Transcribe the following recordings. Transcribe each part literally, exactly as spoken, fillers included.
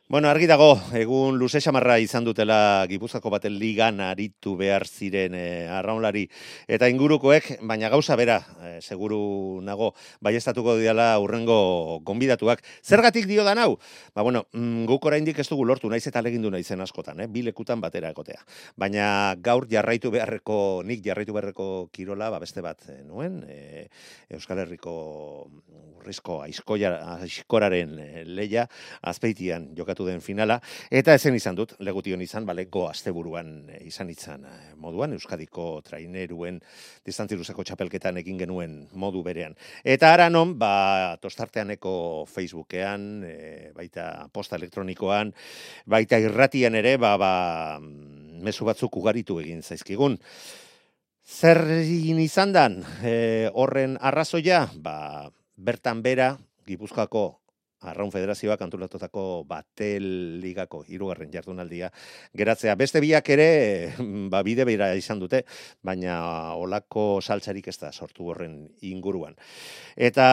Bueno, argi dago, egun luze xamarra izan dutela Gipuzkoako baten ligan aritu behar ziren e, arraunlari eta ingurukoek, baina gauza bera, e, seguru nago, baiestatuko diala urrengo gonbidatuak. Zergatik dio da hau? Ba, bueno, mm, guk oraindik ez dugu lortu, naiz eta legindu naizen askotan, eh? Bi lekutan batera egotea. Baina gaur jarraitu beharreko, nik jarraitu beharreko kirola, ba, beste bat e, nuen, e, Euskal Herriko urrizko aizkoraren e, leia, Azpeitian jokatu den finala, eta ezen izan dut, legution izan, baleko asteburuan izan izan moduan, Euskadiko traineruen distantziruzeko txapelketan egin genuen modu berean. Eta ara non, ba, tostarteaneko Facebookean, e, baita posta elektronikoan, baita irratian ere, ba, ba, mezu batzuk ugaritu egin zaizkigun. Zer izan dan, e, horren arrazoia, ba, bertan bera, Gipuzkoako Arraun Federazioak antolatutako Batel Ligako hirugarren jardunaldia geratzea. Beste biak ere, ba, bide beira izan dute, baina olako saltzarik ez da sortu horren inguruan. Eta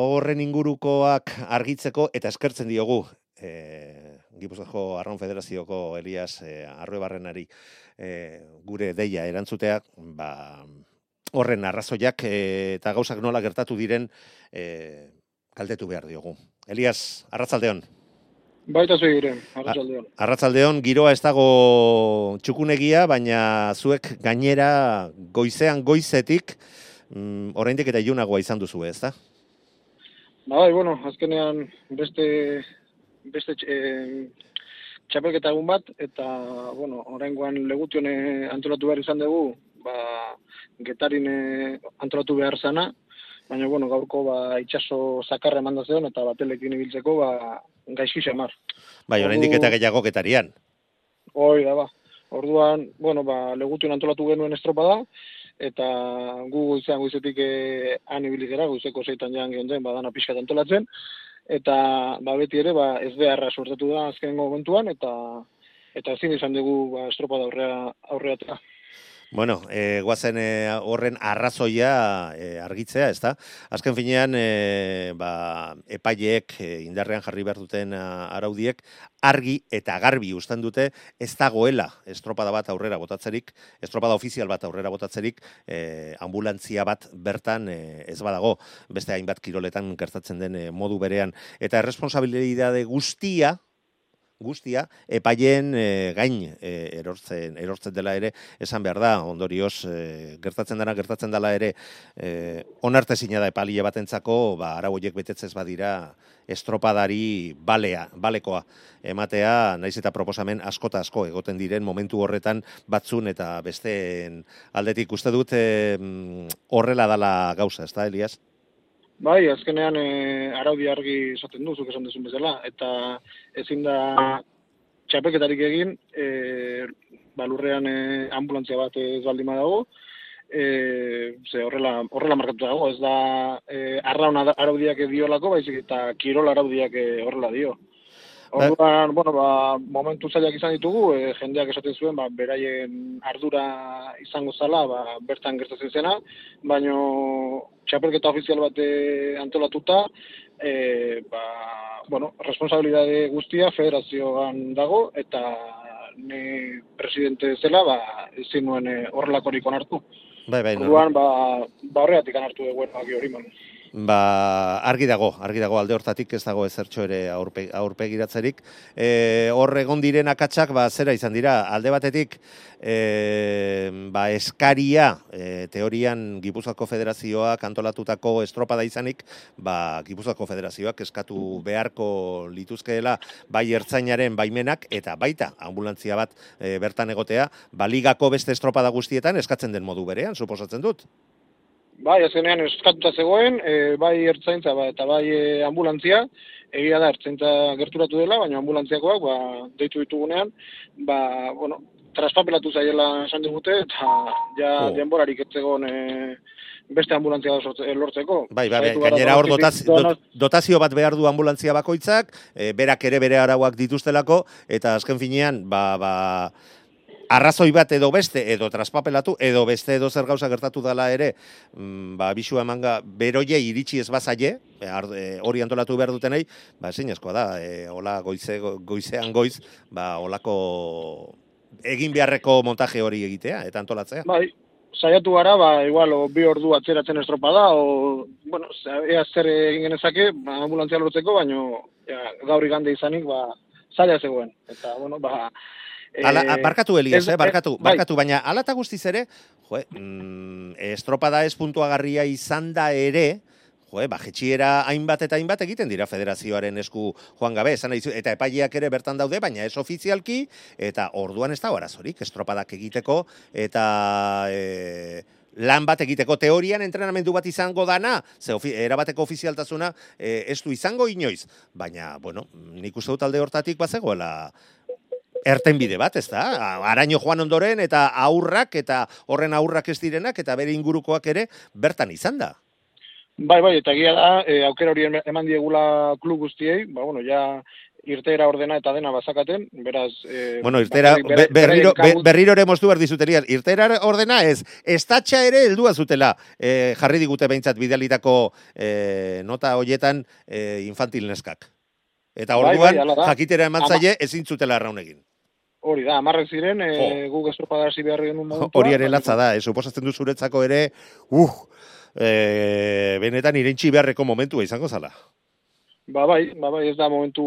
horren ingurukoak argitzeko, eta eskertzen diogu, e, Gipuzkoako Arraun Federazioko Elias e, Arruebarrenari e, gure deia erantzuteak, ba, horren arrazoiak e, eta gauzak nola gertatu diren e, galdetu behar diogu. Elias, arratzaldeon. Baita zuiren, arratzaldeon. Arratzaldeon, giroa ez dago txukunegia, baina zuek gainera goizean goizetik, mm, oraindik eta ilunagoa izan duzu, ez da? Bai, bueno, azkenean beste beste e, txapelketa egun bat, eta, bueno, oraingoan Legution antolatu behar izan dugu, ba, Getarin antolatu behar zana, baina, bueno, gaurko ba, itxaso zakarra eman da zeon, eta Batelekin ibiltzeko ba, gaizki xamar. Bai, oraindik eta gehiago Getarian. Hoi da, ba. Orduan, bueno, ba, Legution antolatu genuen estropada, eta gu goizean goizetik eh, han ibili gara, goizeko zeitan jan geunden, badana pixkat antolatzen, eta ba, beti ere ba, ez beharra sortatu da azkenengo momentuan, eta eta ezin izan dugu ba, estropada aurrea aurreatea. Bueno, e, guazen e, horren arrazoia e, argitzea, ez da? Azken finean, e, ba, epaileek e, indarrean jarri behar duten a, araudiek, argi eta garbi uzten dute, ez dagoela estropada bat aurrera botatzerik, estropada ofizial bat aurrera botatzerik, e, ambulantzia bat bertan e, ez badago, beste hainbat kiroletan gertatzen den e, modu berean. Eta erresponsabilidade guztia, guztia, epaileen e, gain e, erortzen, erortzen dela ere, esan behar da, ondorioz, e, gertatzen dena, gertatzen dela ere, e, onartezina da epaile batentzako, ba, arau horiek betetzez badira, estropadari balea, balekoa ematea, naiz eta proposamen asko eta asko egoten diren momentu horretan batzun eta besteen aldetik uste dut e, horrela dala gauza, ez da, Elias? Bai, azkenean e, araudi argi esaten du, zuk esan duzun bezala, eta ezin da txapelketarik egin, e, balurrean e, ambulantzia bat ez baldin badago, e, ze horrela, horrela markatu dago, ez da e, arraun araudiak diolako, baizik eta kirol araudiak e, horrela dio. Orduan, bueno, ba, momentu zailak izan ditugu, e, jendeak esaten zuen, ba, beraien ardura izango zala, ba, bertan gertatzen zena, baina txapelketa ofizial bat antolatuta, e, ba, bueno, responsabilidade guztia federazioan dago, eta ni presidente zela, ba, ezin nuen horrelakorik onartu. Bai, bai, Orduan, ba, ba horreatik anartu dugu hori man. Ba, argi dago, argi dago alde hortatik ez dago ezertxo ere aurpe, aurpegiratzerik. E, hor egon diren akatsak, ba, zera izan dira, alde batetik, e, ba, eskaria, e, teorian Gipuzkoako Federazioak antolatutako estropada izanik, ba, Gipuzkoako Federazioak eskatu beharko lituzkeela bai ertzainaren baimenak, eta baita ambulantzia bat e, bertan egotea, ba, ligako beste estropada guztietan eskatzen den modu berean, suposatzen dut. Bai, azkenean eskatuta zegoen, e, bai ertzaintza ba, eta bai e, ambulantzia, egia da ertzaintza gerturatu dela, baina ambulantziakoak ba, deitu ditugunean, ba, bueno, traspapelatu zaiela esan digute, eta ja oh. denborarik ez zegoen e, beste ambulantzia lortzeko. Bai, bai, gainera hor dotazio, dotazio bat behar du ambulantzia bakoitzak, e, berak ere bere arauak dituztelako, eta azken finean, ba, ba, arrazoi bat edo beste, edo traspapelatu, edo beste edo zer gauza gertatu dela ere, mm, ba, bisua emanga beroie iritsi ez bazaie, hori antolatu behar dutenei, ba, ezinezkoa da, e, hola goize, goizean goiz, ba, holako egin beharreko montaje hori egitea, eta antolatzea. Bai, saiatu gara, ba, igual, o, bi ordu atzeratzen estropada, o, bueno, ea zer egin genezake, ba, ambulantzia lortzeko, baino, ja, gaur igande izanik, ba, zaila zegoen. Eta, bueno, ba... Ala, e, barkatu, Elias, ez, eh, barkatu, bai. barkatu, baina ala eta guztiz ere, jo, mm, estropada ez puntuagarria izan da ere, jo, ba, jetxiera hainbat eta hainbat egiten dira federazioaren esku joan gabe, esan nahi, eta epaileak ere bertan daude, baina ez ofizialki, eta orduan ez da arazorik, estropadak egiteko, eta... E, lan bat egiteko teorian entrenamendu bat izango dana, ze ofi, erabateko ofizialtasuna e, ez du izango inoiz, baina, bueno, nik uste dut alde hortatik bazegoela erten bide bat, ez da? Araño joan ondoren eta aurrak, eta horren aurrak ez direnak, eta bere ingurukoak ere bertan izan da. Bai, bai, eta egia da, e, aukera hori eman diegula klub guztiei, ba, bueno, ja irteera ordena eta dena bazakaten, beraz... E, bueno, irteera, be, berriro, be, berriro ere moztu behar dizuterian, irteera ordena ez, estatxa ere heldua zutela, e, jarri digute behintzat bidalitako e, nota hoietan e, infantil neskak. Eta orduan, bai, bai, jakitera eman zaie ezin zutela arraun egin. Hori da, amarrek ziren, e, guk estropada hasi behar genuen momentua. Hori ere latza da, e, suposatzen du zuretzako ere, uh, e, benetan irentxi beharreko momentua izango zala. Ba bai, ba bai, ez da momentu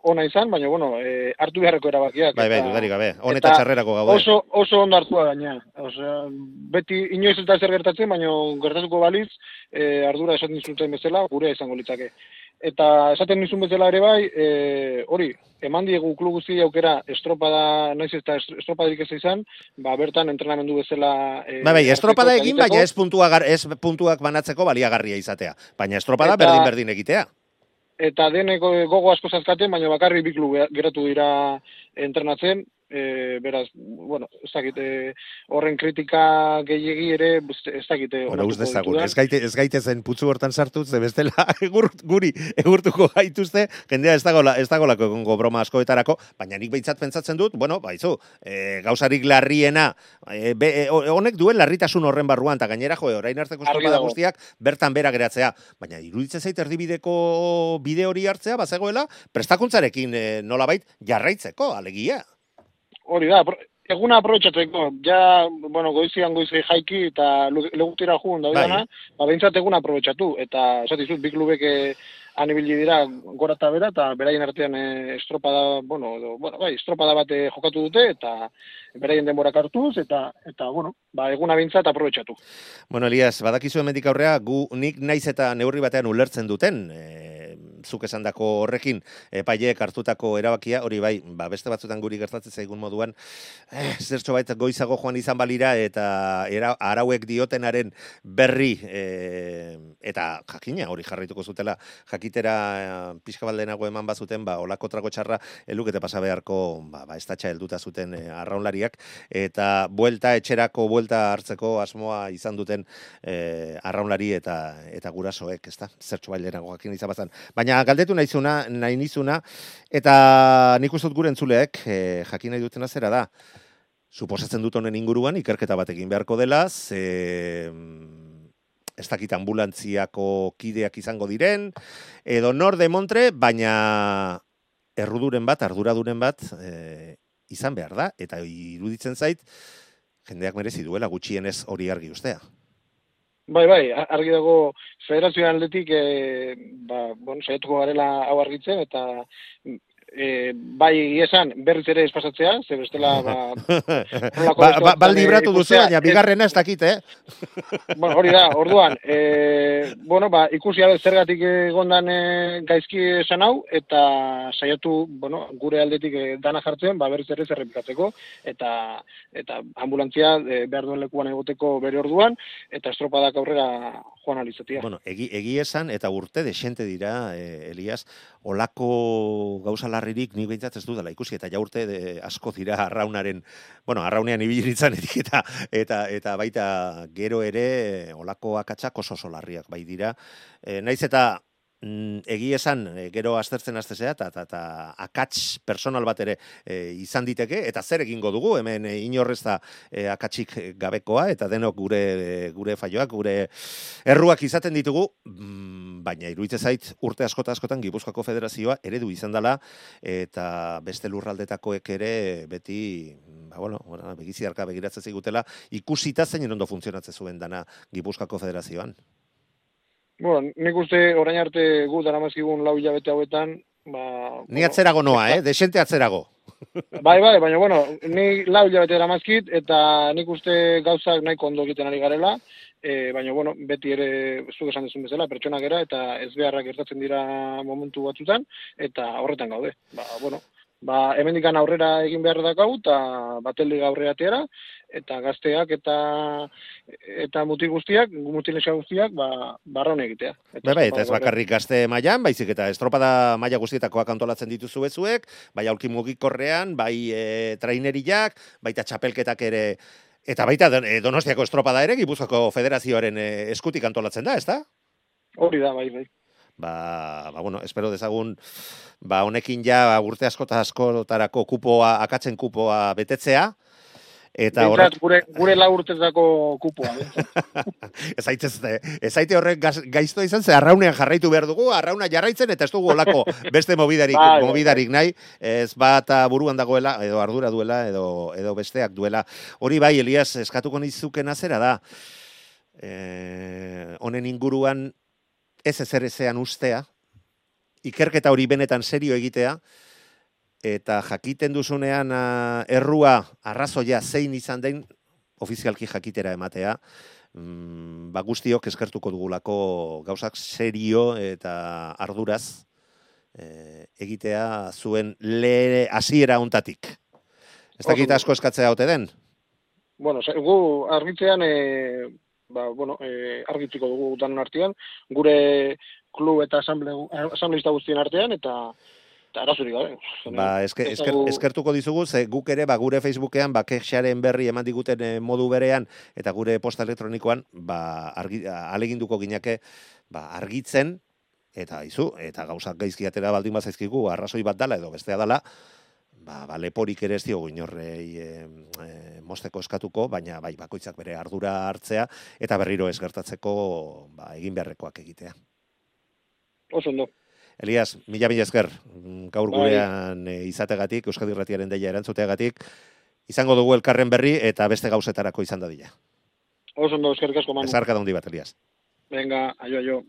ona izan, baina bueno, e, hartu beharreko erabakiak. Bai, bai, dudarik gabe, honeta txarrerako gaude. Oso, oso ondo hartua gaina. Osea, beti inoiz ez da zer gertatzen, baina gertatuko baliz, e, ardura esaten zuten bezala, gure izango litzake. Eta esaten nizun bezala ere bai, e, hori, eman diegu klub guzti aukera estropada, naiz eta estropadarik ez izan, ba bertan entrenamendu bezala... E, bai, bai, estropada egin, baina ez, puntua, ez puntuak banatzeko baliagarria izatea. Baina estropada eta, berdin-berdin egitea. Eta deneko gogo asko zazkaten, baina bakarri bi klub geratu dira entrenatzen, e, beraz, bueno, ez dakite horren kritika gehiegi ere, ez dakite... Bueno, uz dezagun, ez gaite, ez gaite zen putzu hortan sartuz, ze bestela egur, guri egurtuko gaituzte, jendea ez dagola, ez dagolako egongo broma askoetarako, baina nik behintzat pentsatzen dut, bueno, baizu, e, gauzarik larriena, e, be, e, honek duen larritasun horren barruan, eta gainera, jo, orain arteko estropada guztiak bertan bera geratzea, baina iruditzen zait erdibideko bide hori hartzea, bazegoela, prestakuntzarekin e, nolabait jarraitzeko, alegia. Hori da, eguna aprobetxatzeko, ja, bueno, goizian goizi jaiki eta legutira jugun da dana, ba, behintzat eguna aprobetxatu, eta esatizut, bi klubek anibili dira gora eta bera, eta beraien artean e, estropada, bueno, do, bueno, bai, estropada bat jokatu dute, eta beraien denborak hartuz, eta, eta bueno, ba, eguna behintzat aprobetxatu. Bueno, Elias, badakizu hemendik aurrea, gu nik naiz eta neurri batean ulertzen duten, e, zuk esandako horrekin epaileek hartutako erabakia, hori bai, ba, beste batzutan guri gertatzen zaigun moduan, eh, zertxo bait goizago joan izan balira, eta era, arauek diotenaren berri, eh, eta jakina hori jarraituko zutela, jakitera eh, pixka baldenago eman bazuten, ba, olako trago txarra, elukete pasa beharko, ba, ba estatxa helduta zuten eh, arraunlariak, eta buelta, etxerako buelta hartzeko asmoa izan duten eh, arraunlari eta, eta gurasoek, ez da, zertxo baldenago jakin izan bazan. Baina galdetu nahizuna, nahi nizuna, eta nik uste dut gure entzuleek, eh, jakin nahi dutena zera da. Suposatzen dut honen inguruan, ikerketa bat egin beharko dela, ze, ez dakit ambulantziako kideak izango diren, edo nor de montre, baina erruduren bat, arduraduren bat, eh, izan behar da, eta iruditzen zait, jendeak merezi duela gutxienez hori argi ustea. Bai, bai, argi dago federazioan atletik, e, ba, bueno, saiatuko garela hau argitzen, eta e, bai esan berriz ere espasatzea, ze bestela, ba... ba, ba, ba libratu duzu, baina bigarrena ez dakit, eh? Bueno, hori da, orduan, e, bueno, ba, ikusi abe zergatik egondan e, gaizki esan hau, eta saiatu, bueno, gure aldetik e, dana jartzen, ba, berriz ere zerrepikatzeko, eta eta ambulantzia e, behar duen lekuan egoteko bere orduan, eta estropadak aurrera joan alizatia. Bueno, egi, egi esan, eta urte desente dira, e, Elias, olako gauza larririk nik behintzat ez dudala ikusi, eta ja urte de, asko dira arraunaren, bueno, arraunean ibilitzen eta, eta, eta baita gero ere olako akatsak oso oso larriak bai dira. E, naiz eta mm, egi esan, e, gero aztertzen aztezea, eta ta, ta, akats personal bat ere e, izan diteke, eta zer egingo dugu, hemen e, inorrez da e, akatsik gabekoa, eta denok gure e, gure faioak, gure erruak izaten ditugu, mm, baina iruditzen zait urte askota askotan Gipuzkoako Federazioa eredu izan dela, eta beste lurraldetakoek ere beti, ba, bueno, bueno, begiziarka begiratzen zigutela, ikusita zein ondo funtzionatzen zuen dana Gipuzkoako Federazioan. Bueno, nik uste orain arte gu daramazkigun lau hilabete hauetan, ba... Ni atzerago noa, eh? Desente atzerago. Bai, bai, baina, bueno, ni lau hilabete daramazkit, eta nik uste gauzak nahiko ondo egiten ari garela, e, baina, bueno, beti ere, zuk esan dezun bezala, pertsonak era, eta ez beharrak gertatzen dira momentu batzutan, eta horretan gaude. Ba, bueno, ba, hemendikan aurrera egin behar dakau, eta bateldi aurrera atera, eta gazteak eta eta mutil guztiak, mutilesa guztiak, ba, barraun egitea. Eta, bai, eta ez bakarrik gazte mailan, baizik eta estropada maila guztietakoak antolatzen dituzu bezuek, bai aulki mugikorrean, bai e, traineriak, baita txapelketak ere, eta baita Donostiako estropada ere, Gipuzkoako Federazioaren eskutik antolatzen da, ezta? Hori da, bai, bai. Ba, ba, bueno, espero dezagun, ba, honekin ja urte askota askotarako kupoa, akatzen kupoa betetzea, eta horrek gure gure lau urtezako kupoa. Ez aitez, ez aite horrek gaizto izan ze arraunean jarraitu behar dugu, arrauna jarraitzen eta ez dugu olako beste mobidarik, bai, mobidarik nahi, ez bat buruan dagoela edo ardura duela edo edo besteak duela. Hori bai, Elias, eskatuko nizukena zera da. Eh, honen inguruan ez ezer ezean ustea, ikerketa hori benetan serio egitea, eta jakiten duzunean uh, errua arrazoia zein izan den ofizialki jakitera ematea, mm, ba guztiok eskertuko dugulako gauzak serio eta arduraz e, egitea zuen le hasiera hontatik. Ez dakit asko eskatzea ote den? Bueno, gu argitzean e, ba, bueno, e, argitziko dugu danon artean, gure klub eta asambleista guztien artean, eta arazorik gabe. Ba, esker, esker, eskertuko dizugu, ze guk ere, ba, gure Facebookean, ba, kexaren berri eman diguten modu berean, eta gure posta elektronikoan, ba, argi, aleginduko gineke, ba, argitzen, eta izu, eta gauzak gaizki atera baldin bazaizkigu, arrazoi bat dala edo bestea dala, ba, ba leporik ere ez diogu inorrei e, e, mosteko eskatuko, baina bai, bakoitzak bere ardura hartzea, eta berriro ez gertatzeko, ba, egin beharrekoak egitea. Oso ondo. Elias, mila mila esker, gaur gurean e, izategatik, Euskadi Irratiaren deia erantzuteagatik, izango dugu elkarren berri eta beste gauzetarako izan dadila. Oso ondo, eskerrik asko, Manu. Ezarka da hundi bat, Elias. Venga, aio, aio.